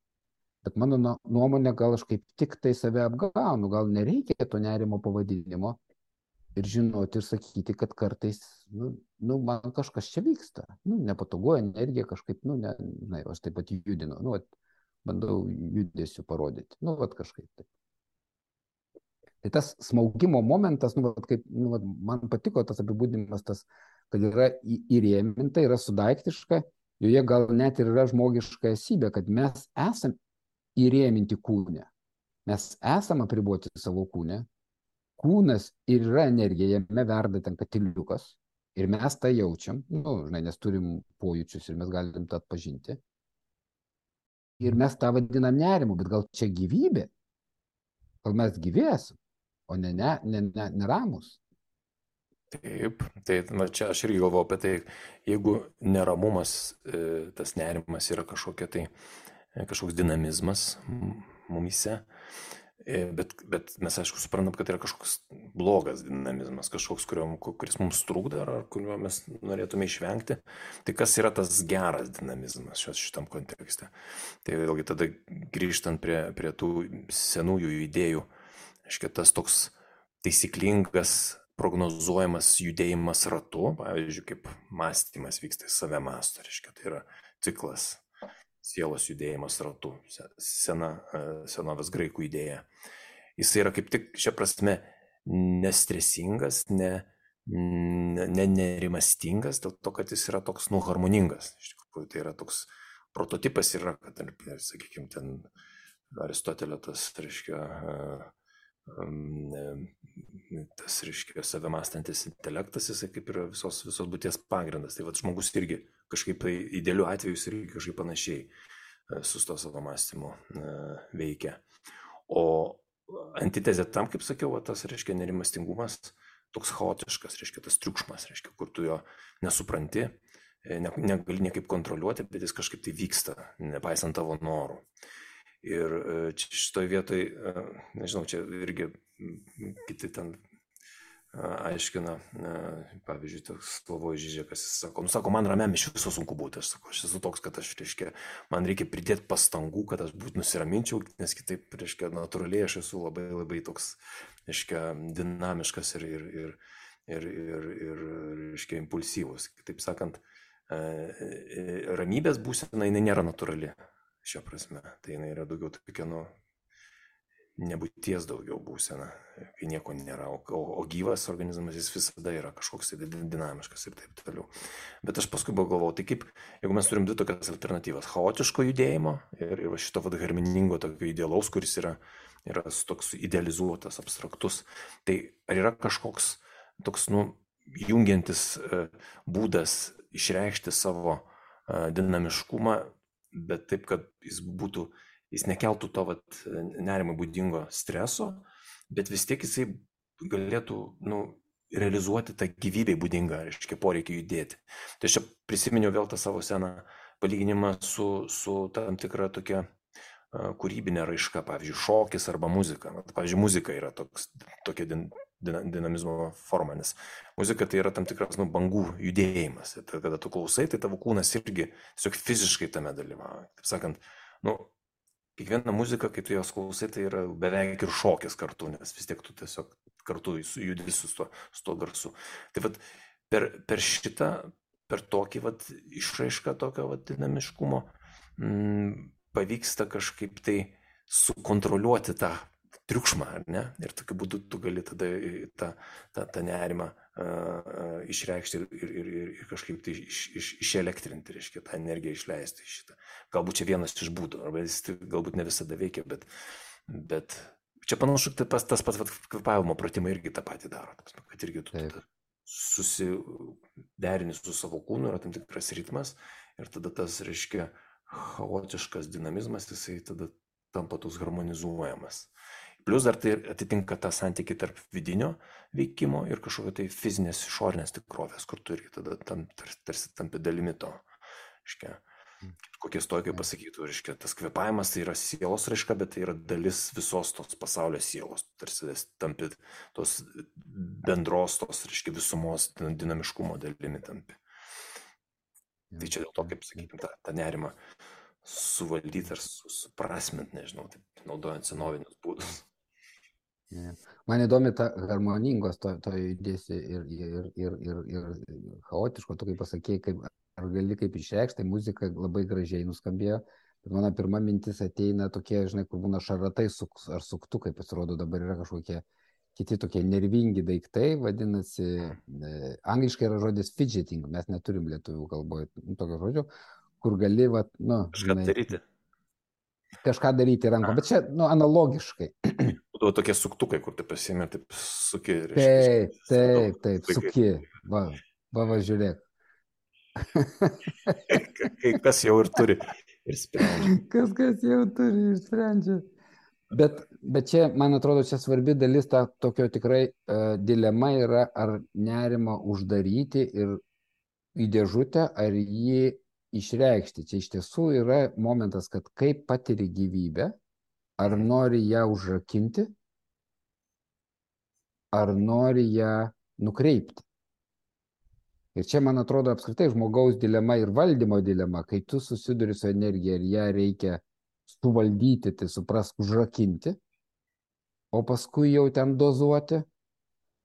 Bet mano nuomonė, gal aš kaip tik tai save apgaunu, gal nereikia to nerimo pavadinimo ir žinoti ir sakyti, kad kartais, nu, nu man kažkas čia vyksta, nu, nepatogu, energija kažkaip, nu, ne, na, aš taip pat judinu, nu, vat, bandau judesiu parodyti, nu, vat kažkaip taip. Tai tas smaugimo momentas, nu, vat, kaip, nu, vat, man patiko tas apibūdinimas, tas, kad yra įrėminta, yra sudaiktiška, joje gal net ir yra žmogiška esybė, kad mes esam įrėminti kūne. Mes esam apriboti savo kūne. Kūnas ir yra energija, jame verda ten katiliukas. Ir mes tą jaučiam, nu, žinai, nes turim pojūčius ir mes galim tą atpažinti. Ir mes tą vadinam nerimu, bet gal čia gyvybė? Gal mes gyvėsim, o ne, ne, ne, ne, neramus? Taip, tai na, čia aš irgi galvoju apie tai, jeigu neramumas, tas nerimas yra kažkokia tai kažkoks dinamizmas mumise, bet, bet mes aišku suprantam, kad yra kažkoks blogas dinamizmas, kažkoks, kuriuo, kuris mums trukdo ar kuriuo mes norėtume išvengti. Tai kas yra tas geras dinamizmas šios šitam kontekste? Tai vėlgi tada grįžtant prie, prie tų senųjų idėjų, aiškiai, tas toks taisyklingas, prognozuojamas judėjimas ratu, pavyzdžiui, kaip mąstymas vyksta, save mąsto, reiškia, tai yra ciklas. Sielos judėjimas ratu, sena, senovės graikų idėja. Jis yra kaip tik šia prasme nestresingas, ne, ne nerimastingas, dėl to, kad jis yra toks, nu, harmoningas. Iš tikrųjų, tai yra toks prototipas yra, kad, sakykime, ten Aristotelio tas, reiškia, tas, reiškia, save mąstantis intelektas, jisai kaip yra visos, visos būties pagrindas. Tai vat žmogus irgi kažkaip tai idealiu atveju jis irgi kažkaip panašiai su to savo mąstymu veikia. O antitezė tam, kaip sakiau, va, tas, reiškia, nerimastingumas, toks chaotiškas, reiškia, tas triukšmas, reiškia, kur tu jo nesupranti, ne, negali niekaip kontroliuoti, bet jis kažkaip tai vyksta, nepaisant tavo norų. Ir šitoj vietoj, nežinau, čia irgi kiti ten aiškina, pavyzdžiui, toks Slavojas Žižekas, jis sako, nu sako, man ramiam iš viso sunku būti, aš sako, aš esu toks, kad aš, reiškia, man reikia pridėti pastangų, kad aš būt nusiraminčiau, nes kitaip, reiškia, natūraliai aš esu labai labai toks, reiškia, dinamiškas ir, ir, ir, ir, ir, ir reiškia, impulsyvus. Kitaip sakant, ramybės būsena, jinai nėra natūrali. Šia prasme, tai jinai yra daugiau tokia, nu, nebūties daugiau būsena, kai nieko nėra, o, o gyvas organizmas jis visada yra kažkoks tai dinamiškas ir taip toliau. Bet aš paskui galvojau, tai kaip, jeigu mes turim dvi tokias alternatyvas, chaotiško judėjimo ir, ir šito vad harmoningo tokio idealaus, kuris yra, yra toks idealizuotas, abstraktus, tai ar yra kažkoks toks, nu, jungiantis būdas išreikšti savo dinamiškumą, bet taip, kad jis būtų, jis nekeltų to vat, nerimui būdingo streso, bet vis tiek jisai galėtų, nu, realizuoti tą gyvybei būdingą, reiškia, poreikį judėti. Tai aš čia prisiminiau vėl tą savo seną palyginimą su, su tam tikra tokia uh, kūrybinė raiška, pavyzdžiui, šokis arba muzika. Pavyzdžiui, muzika yra toks, tokia din, dinamizmo forma, nes muzika tai yra tam tikras, nu, bangų judėjimas. Tai kada tu klausai, tai tavo kūnas irgi tiesiog fiziškai tame dalyvauja. Taip sakant, nu, kiekviena muzika, kai tu jos klausai, tai yra beveik ir šokis kartu, nes vis tiek tu tiesiog kartu judi su to, su to garsu. Tai vat per, per šitą, per tokį vat išraišką tokio vat dinamiškumo m, pavyksta kažkaip tai sukontroliuoti tą triukšmą, ar ne? Ir tokiu būdu tu gali tada tą, tą, tą nerimą uh, išreikšti ir, ir, ir, ir kažkaip tai iš, iš, išelektrinti, reiškia, tą energiją išleisti iš šitą. Galbūt čia vienas iš būdų, arba jis galbūt ne visada veikia, bet, bet čia panašu, tas, tas pats kvėpavimo pratimai irgi tą patį daro, kad irgi tu tada susiderini su savo kūnu, yra tam tikras ritmas ir tada tas, reiškia, chaotiškas dinamizmas, jisai tada tampa toks harmonizuojamas. Plius dar tai atitinka tą santykį tarp vidinio veikimo ir kažkokio tai fizinės išorinės tikrovės, kur turi tada tam, tarsi tampi dalimi to. Reiškia, kokie stoikai pasakytų, reiškia, tas kvėpavimas tai yra sielos raiška, bet tai yra dalis visos tos pasaulio sielos, tarsi tampi tos bendros, tos, reiškia, visumos dinamiškumo dalimi tampi. Tai čia dėl to, kaip sakykime, tą, tą nerimą suvaldyti ar suprasmint, nežinau, taip, naudojant senovinius būdus. Yeah. Man įdomi ta harmoningos to, to judėsi ir, ir, ir, ir, ir chaotiško, tu kaip pasakėjai, kaip, ar gali kaip išreikšti, tai muzika labai gražiai nuskambėjo, bet mano pirma mintis ateina tokie, žinai, kur būna šaratai suk, ar suktukai, pasirodo dabar yra kažkokie kiti tokie nervingi daiktai, vadinasi, e, angliškai yra žodis fidgeting, mes neturim lietuvių kalboje nu, tokio žodžio, kur gali, va, nu, kažką žinai, daryti. Kažką daryti rankom, bet čia, nu, analogiškai. Būdavo tokie suktukai, kur tu pasiėmė, taip suki. Taip, taip, taip, suki. Va, va, va, žiūrėk. Kai kas jau ir turi ir sprendžia. Kas, kas jau turi ir sprendžia. Bet, bet čia, man atrodo, čia svarbi dalis, ta tokio tikrai uh, dilema yra, ar nerimą uždaryti ir į dėžutę, ar jį išreikšti. Čia iš tiesų yra momentas, kad kaip patiri gyvybę, ar nori ją užrakinti, ar nori ją nukreipti. Ir čia, man atrodo, apskritai žmogaus dilema ir valdymo dilema, kai tu susiduri su energija ir ją reikia suvaldyti, tai suprask, užrakinti, o paskui jau ten dozuoti,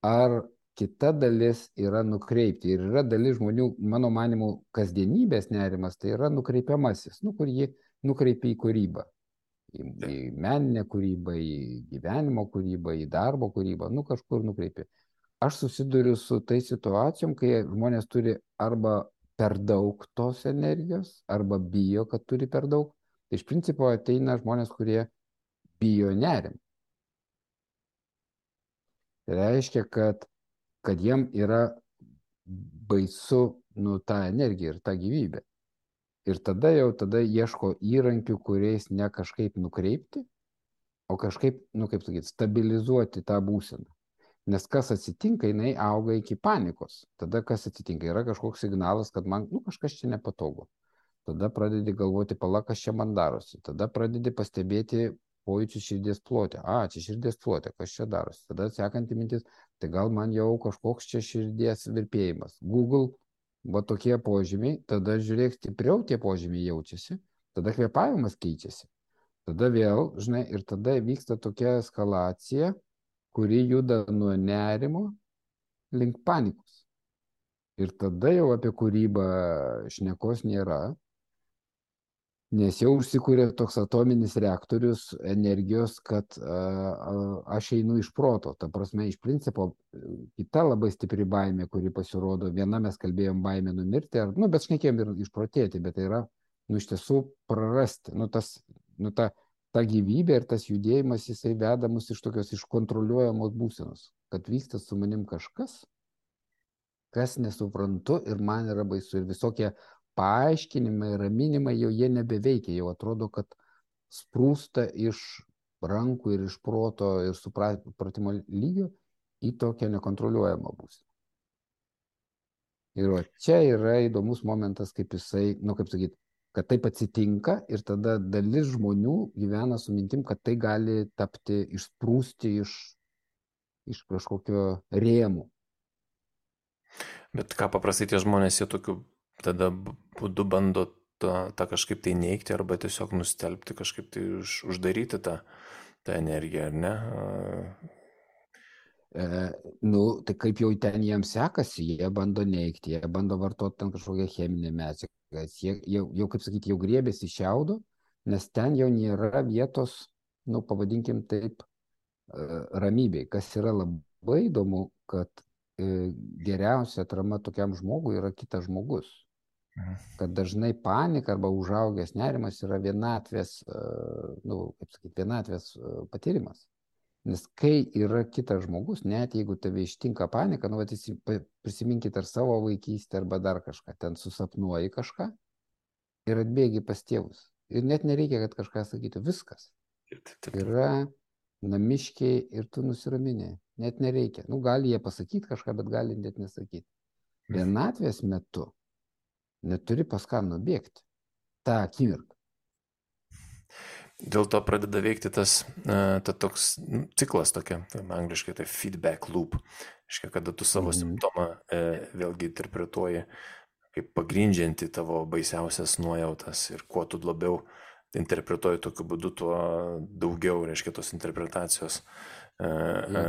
ar kita dalis yra nukreipti. Ir yra dalis žmonių, mano manimu, kasdienybės nerimas, tai yra nukreipiamasis, nu, kur jį nukreipia į kūrybą. Į, į meninę kūrybą, į gyvenimo kūrybą, į darbo kūrybą, nu kažkur nukreipia. Aš susiduriu su tai situacijom, kai žmonės turi arba per daug tos energijos, arba bijo, kad turi per daug. Tai iš principo ateina žmonės, kurie bijo nerim. Tai reiškia, kad, kad jiem yra baisu nu, tą energiją ir tą gyvybę. Ir tada jau tada ieško įrankių, kuriais ne kažkaip nukreipti, o kažkaip, nu kaip sakyti, stabilizuoti tą būseną. Nes kas atsitinka, jinai auga iki panikos. Tada kas atsitinka, yra kažkoks signalas, kad man nu, kažkas čia nepatogu. Tada pradedi galvoti, pala, kas čia man darosi. Tada pradedi pastebėti pojūčių širdies plote. A, čia širdies plote, kas čia darosi. Tada sekanti mintis, tai gal man jau kažkoks čia širdies virpėjimas. Google, va tokie požymiai, tada žiūrėk, stipriau tie požymiai jaučiasi, tada kvėpavimas keičiasi. Tada vėl, žinai, ir tada vyksta tokia eskalacija, kuri juda nuo nerimo link panikos. Ir tada jau apie kūrybą šnekos nėra, nes jau užsikūrė toks atominis reaktorius energijos, kad a, a, aš einu iš proto. Ta prasme, iš principo, kita labai stipri baimė, kuri pasirodo, viena mes kalbėjom baimė numirti, ar, nu, bet šnekėjom ir išprotėti, bet tai yra, nu, iš tiesų prarasti. Nu, tas, nu, ta, ta gyvybė ir tas judėjimas, jisai veda mus iš tokios iškontroliuojamos būsenos, kad vyksta su manim kažkas, kas nesuprantu ir man yra baisu. Ir visokie paaiškinimai, raminimai jau jie nebeveikia, jau atrodo, kad sprūsta iš rankų ir iš proto ir supratimo lygio į tokią nekontroliuojamą būseną. Ir o čia yra įdomus momentas, kaip jisai, nu kaip sakyti, kad taip atsitinka ir tada dalis žmonių gyvena su mintim, kad tai gali tapti, išsprūsti iš, iš kažkokio rėmų. Bet ką paprastai tie žmonės, jie tokiu tada būdu bando tą, tą kažkaip tai neigti arba tiesiog nustelbti, kažkaip tai už, uždaryti tą, tą energiją, ar ne? E, nu, tai kaip jau ten jiems sekasi, jie bando neigti, jie bando vartoti ten kažkokią cheminę medžiagą, jie jau, jau, kaip sakyti, jau griebėsi šiaudo, nes ten jau nėra vietos, nu, pavadinkim taip, ramybei. Kas yra labai įdomu, kad e, geriausia atrama tokiam žmogui yra kitas žmogus. Kad dažnai panika arba užaugęs nerimas yra vienatvės, nu, kaip sakyti, vienatvės patyrimas. Nes kai yra kitas žmogus, net jeigu tave ištinka panika, nu, vat, prisiminkit ar savo vaikystę, arba dar kažką, ten susapnuoji kažką ir atbėgi pas tėvus. Ir net nereikia, kad kažką sakytų, viskas. Taip, taip, taip. Yra namiškiai ir tu nusiraminė. Net nereikia. Nu, gali jie pasakyti kažką, bet gali net nesakyti. Vienatvės metu neturi pas ką nubėgti. Ta akimirka. Dėl to pradeda veikti tas, ta toks nu, ciklas tokia, tai angliškai tai feedback loop. Iškia, kada tu savo Mhm. simptomą e, vėlgi interpretuoji kaip pagrindžianti tavo baisiausias nuojautas ir kuo tu labiau interpretuoji tokiu būdu, tuo daugiau, reiškia, tos interpretacijos e, e,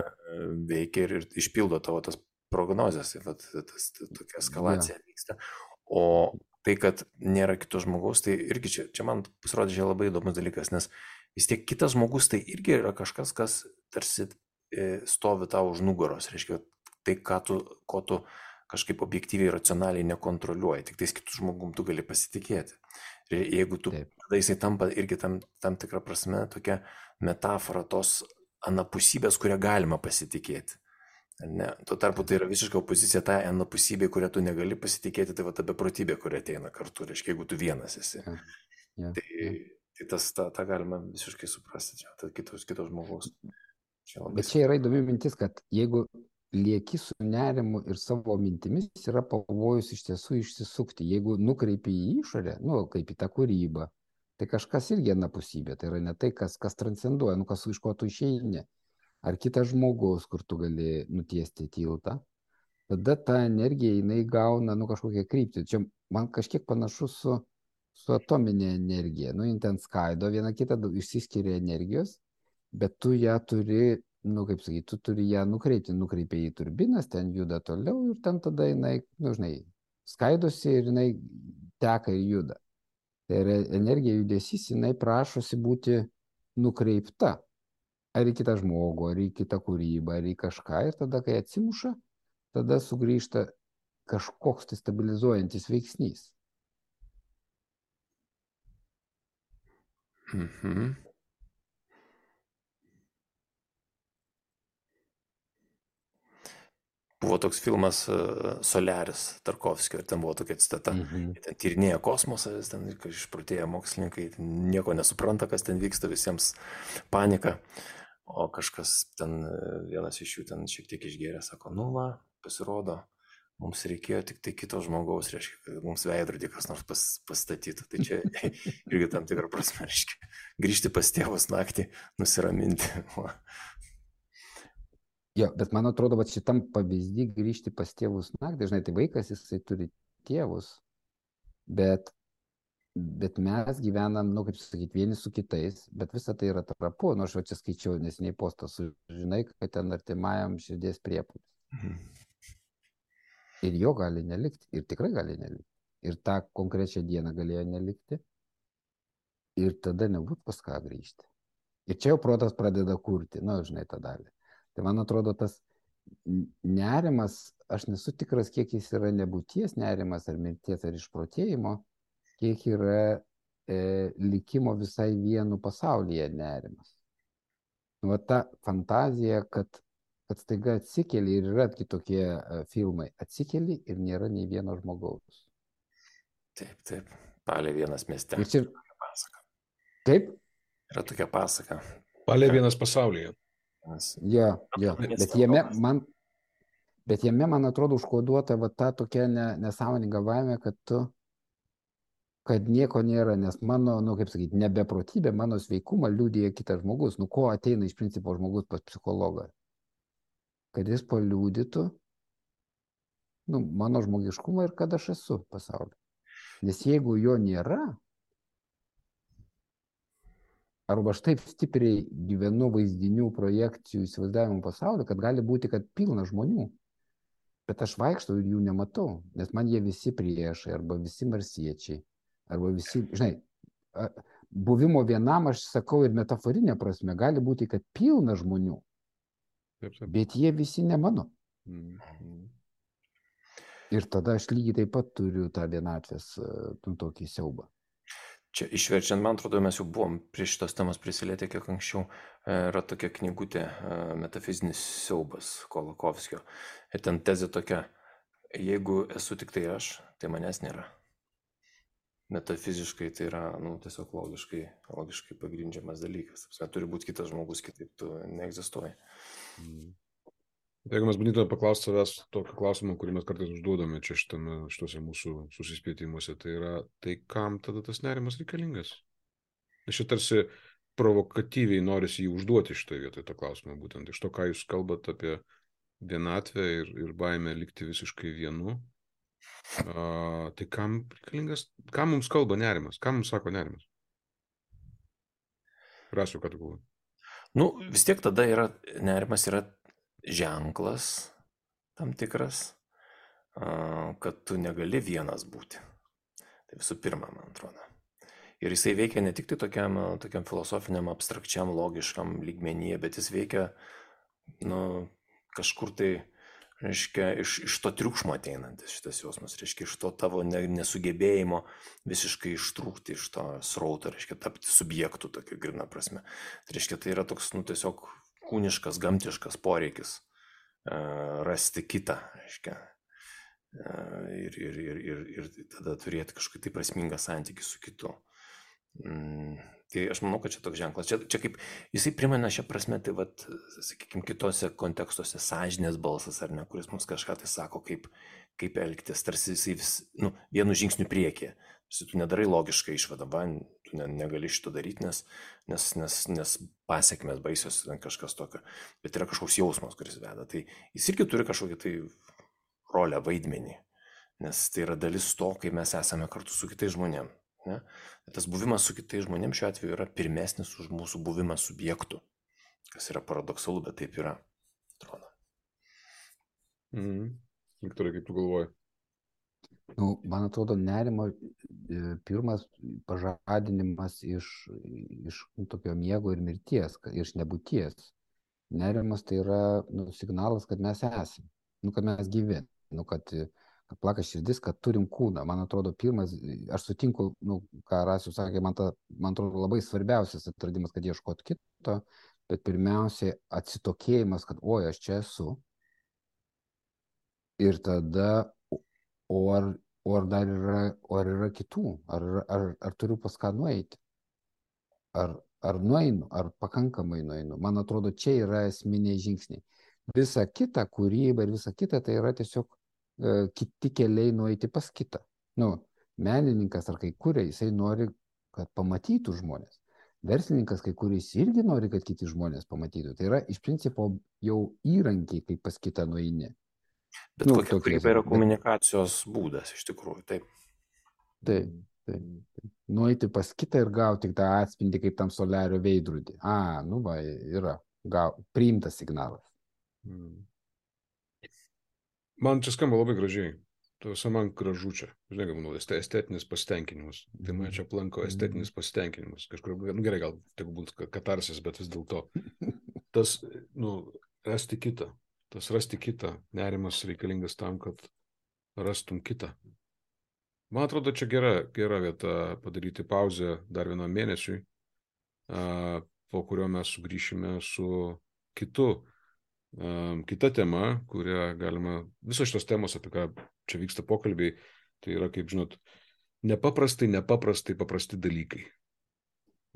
veikia ir, ir išpildo tavo tas prognozes. Tai vat, tas, tas tokia eskalacija Yeah. vyksta. O tai, kad nėra kito žmogaus, tai irgi čia, čia man pasirodė čia labai įdomus dalykas, nes vis tiek kitas žmogus tai irgi yra kažkas, kas tarsi e, stovi tau už nugaros, reiškia, tai, ką tu, ko tu kažkaip objektyviai, racionaliai nekontroliuoji, tik tais kitų žmogum tu gali pasitikėti. Ir jeigu tu, Taip. tada jisai tampa irgi tam, tam tikrą prasme tokia metafora tos anapusybės, kurią galima pasitikėti. Ne, tuo tarpu tai yra visiška opozicija tai anapusybė, kurią tu negali pasitikėti, tai va ta beprotybė, kuri ateina kartu, reiškia, jeigu tu vienas esi. Yeah. Yeah. Tai, Yeah. tai tas, tą, tą galima visiškai suprasti, čia, tai kitos, kitos žmogaus. Čia labai Bet čia yra įdomi mintis, kad jeigu lieki su nerimu ir savo mintimis, yra pavojus iš tiesų išsisukti. Jeigu nukreipi į išorę, nu, kaip į tą kūrybą, tai kažkas irgi anapusybė. Tai yra ne tai, kas, kas transcenduoja, nu, kas iš ko tu išeini. Ar kitas žmogus, kur tu gali nutiesti tiltą, tada ta energija, jinai gauna, nu, kažkokią kryptį. Čia man kažkiek panašu su, su atominė energija. Nu, jin ten skaido vieną kitą, išsiskiria energijos, bet tu ją turi, nu, kaip sakyti, tu turi ją nukreipti, nukreipia į turbinas, ten juda toliau ir ten tada jinai, nu, žinai, skaidosi ir jinai teka ir juda. Tai yra energija, judesys, jinai prašosi būti nukreipta. Ar į kitą žmogų, ar į kitą kūrybą, ar į kažką. Ir tada, kai atsimuša, tada sugrįžta kažkoks tai stabilizuojantis veiksnys. Mhm. Buvo toks filmas uh, Soliaris Tarkovskio ir ten buvo tokia citata. Mhm. Ten tyrinėja kosmosą, jis ten išprotėję mokslininkai, ten nieko nesupranta, kas ten vyksta, visiems panika. O kažkas ten, vienas iš jų ten šiek tiek išgėrė, sako, nu va, pasirodo, mums reikėjo tik tai kito žmogaus, reiškia, kad mums veidrodį kas nors pas, pastatytų. Tai čia irgi tam tikrą prasme, reiškia, grįžti pas tėvus naktį, nusiraminti. Jo, bet man atrodo, kad šitam pavyzdį grįžti pas tėvus naktį, dažnai tai vaikas, jisai turi tėvus, bet, bet mes gyvenam, nu, kaip sakyti, vieni su kitais, bet visa tai yra trapu. Nu, aš va čia skaičiau nesiniai postą, žinai, kad ten artimajam širdies priepuolis. Mhm. Ir jo gali nelikti, ir tikrai gali nelikti. Ir tą konkrečią dieną galėjo nelikti. Ir tada nebūtų pas ką grįžti. Ir čia jau protas pradeda kurti, nu, žinai, tą dalį. Tai man atrodo, tas nerimas, aš nesu tikras, kiek jis yra nebūties nerimas, ar mirties, ar išprotėjimo, kiek yra e, likimo visai vienu pasaulyje nerimas. Nu, va ta fantazija, kad kad staiga atsikeli ir yra kitokie uh, filmai. Atsikeli ir nėra nei vieno žmogaus. Taip, taip. Palė vienas mieste. Ir čia... Pasaka. Kaip? Yra tokia pasaka. Palė vienas pasaulyje. Jo, jo. Bet jame man, bet jame, man atrodo, užkoduota va ta tokia ne, nesąmoninga baimė, kad tu, kad nieko nėra, nes mano, nu, kaip sakyti, nebeprotybė, mano sveikumą liudija kitas žmogus. Nu, ko ateina iš principo žmogus pas psichologą? Kad jis paliūdytų, nu, mano žmogiškumą ir kad aš esu pasaulyje. Nes jeigu jo nėra, arba aš taip stipriai gyvenu vaizdinių, projekcijų, įsivaizdavimų pasaulyje, kad gali būti, kad pilna žmonių, bet aš vaikštau ir jų nematau, nes man jie visi priešai, arba visi marsiečiai, arba visi, žinai, buvimo vienam, aš sakau ir metaforinė prasme, gali būti, kad pilna žmonių. Taip, taip. Bet jie visi ne mano. Mm. Ir tada aš lygiai taip pat turiu tą vienatvės, nu, tokį siaubą. Čia išverčiant, man atrodo, mes jau buvom prie šitos temos prisilietę kiek anksčiau. Yra tokia knygutė Metafizinis siaubas Kolokovskio. Ir ten tezė tokia, jeigu esu tik tai aš, tai manęs nėra. Metafiziškai tai yra, nu, tiesiog logiškai, logiškai pagrindžiamas dalykas. Apsime, turi būti kitas žmogus, kitaip tu neegzistuoji. Mm. Jeigu mes bandytume paklausti savęs tokio klausimo, kurį mes kartais užduodame čia šitame, šituose mūsų susispėtimuose, tai yra, tai kam tada tas nerimas reikalingas? Aš čia tarsi provokatyviai norisi jį užduoti šitoje vietoje tą klausimą, būtent iš to, ką jūs kalbate apie vienatvę ir, ir baimę likti visiškai vienu. A, tai kam reikalingas, kam mums kalba nerimas, kam mums sako nerimas? Rasiu, ką tu galvoji? Nu, vis tiek tada yra, nerimas yra ženklas tam tikras, kad tu negali vienas būti. Tai visų pirma, man atrodo. Ir jisai veikia ne tik tai tokiam, tokiam filosofiniam, abstrakčiam, logiškam lygmenyje, bet jis veikia, nu, kažkur tai, reiškia, iš, iš to triukšmo ateinantis šitas jausmas, reiškia, iš to tavo nesugebėjimo visiškai ištrūkti iš to srauto, reiškia, tapti subjektų tokiu grina prasme. Tai reiškia, tai yra toks, nu, tiesiog kūniškas, gamtiškas poreikis uh, rasti kitą, reiškia, uh, ir, ir, ir, ir, ir tada turėti kažkokį tai prasmingą santykį su kitu. Mm, tai aš manau, kad čia toks ženklas. Čia, čia kaip, jisai primena šią prasme, tai vat, sakykime, kitose kontekstuose sąžinės balsas, ar ne, kuris mums kažką tai sako, kaip, kaip elgtis, tarsi jisai vis, nu, vienu žingsniu priekį. Tu nedarai logiškai išvadą, va, tu ne, negali šito daryti, nes, nes, nes, nes pasiekmes baisios kažkas tokio, bet yra kažkoks jausmas, kuris veda. Tai jis irgi turi kažkokį tai rolę, vaidmenį, nes tai yra dalis to, kai mes esame kartu su kitais žmonėmis. Ne? Tas buvimas su kitais žmonėmis šiuo atveju yra pirmesnis už mūsų buvimą subjektų, kas yra paradoksalu, bet taip yra, atrodo. Mhm. Viktorai, kaip tu galvoji? Nu, man atrodo, nerimo pirmas pažadinimas iš, iš nu, tokio miego ir mirties, iš nebūties. Nerimas tai yra nu, signalas, kad mes esame, nu, kad mes gyvi, nu, kad, kad plaka širdis, kad turim kūną. Man atrodo, pirmas, aš sutinku, nu, ką Rasius sakė, man, ta, man atrodo labai svarbiausias atradimas, kad ieškot kito, bet pirmiausiai atsitokėjimas, kad oi, aš čia esu. Ir tada O ar, o ar dar yra, o ar yra kitų? Ar, ar, ar turiu pas ką nueiti? Ar, ar nueinu? Ar pakankamai nueinu? Man atrodo, čia yra esminiai žingsniai. Visa kita kūryba ir visa kita tai yra tiesiog e, kiti keliai nueiti pas kitą. Nu, menininkas ar kai kuria, jisai nori, kad pamatytų žmonės. Verslininkas kai kuris irgi nori, kad kiti žmonės pamatytų. Tai yra iš principo jau įrankiai, kaip pas kitą nueini. Bet nu, kokia kūryba yra komunikacijos bet... būdas, iš tikrųjų, taip. Taip, taip. Nueiti pas kitą ir gauti tą atspindį kaip tam soliario veidrodį. A, nu va, yra gau, priimtas signalas. Hmm. Man čia skamba labai gražiai. Tuose man gražu čia. Žinai, kaip manau, estetinis pasitenkinimas. Tai man čia aplanko estetinis pasitenkinimas. Kažkur, nu gerai, gal tik būtų katarsis, bet vis dėlto. Tas, nu, rasti kitą. Tas rasti kitą, nerimas reikalingas tam, kad rastum kitą. Man atrodo, čia gera, gera vieta padaryti pauzę dar vienam mėnesiui, po kurio mes sugrįšime su kitu, kita tema, kurią galima, visos šitos temos, apie ką čia vyksta pokalbiai, tai yra, kaip žinot, nepaprastai, nepaprastai paprasti dalykai.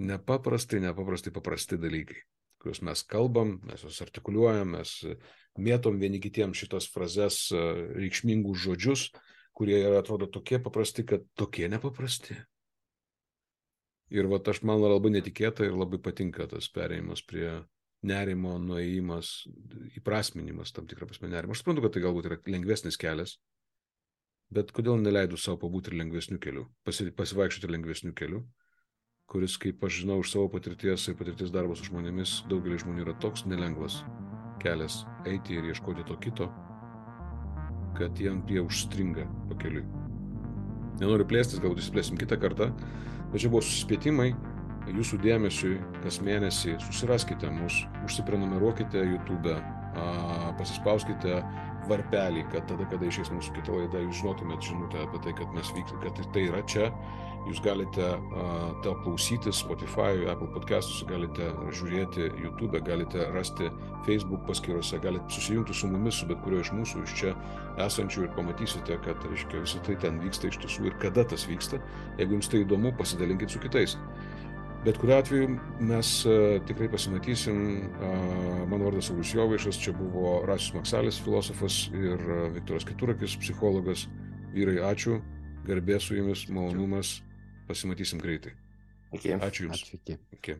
Nepaprastai, nepaprastai paprasti dalykai, kuriuos mes kalbam, mes juos artikuliuojam, mes mėtom vieni kitiems šitos frazes, reikšmingus žodžius, kurie yra, atrodo, tokie paprasti, kad tokie nepaprasti. Ir va, aš man labai netikėta ir labai patinka tas perėjimas prie nerimo, nuėjimas, įprasminimas, tam tikrą prasme nerimo. Aš suprantu, kad tai galbūt yra lengvesnis kelias, bet kodėl neleidau savo pabūti ir lengvesnių kelių, pasi, pasivaikščioti lengvesnių kelių, kuris, kaip aš žinau iš savo patirties ir patirties darbo su žmonėmis, daugelis žmonių yra toks nelengvas kelias eiti ir ieškoti to kito, kad jiem jie užstringa pakeliui. Nenoriu plėstis, galbūt įsiplėsim kitą kartą, bet čia buvo susispėtimai, jūsų dėmesiui kas mėnesį susiraskite mus, užsiprenumeruokite YouTube pasispauskite varpelį, kad tada, kada išės mūsų kita laida, jūs žinotumėt žinutę apie tai, kad mes vyksime, kad tai yra čia. Jūs galite uh, tą klausyti Spotify, Apple podcastus, galite žiūrėti YouTube, galite rasti Facebook paskyrose, galite susijungti su mumis, su bet kurio iš mūsų, iš čia esančių ir pamatysite, kad, reiškia, visą tai ten vyksta iš tiesų ir kada tas vyksta. Jeigu jums tai įdomu, pasidalinkit su kitais. Bet kuriuo atveju mes uh, tikrai pasimatysim. Uh, mano vardas Saulius Jovaišas, čia buvo Rasius Maksalis, filosofas, ir uh, Viktoras Keturakis, psichologas. Vyrai, ačiū, garbė su jumis, malonumas, pasimatysim greitai. Iki. Ačiū jums. Ačiū, iki. Iki.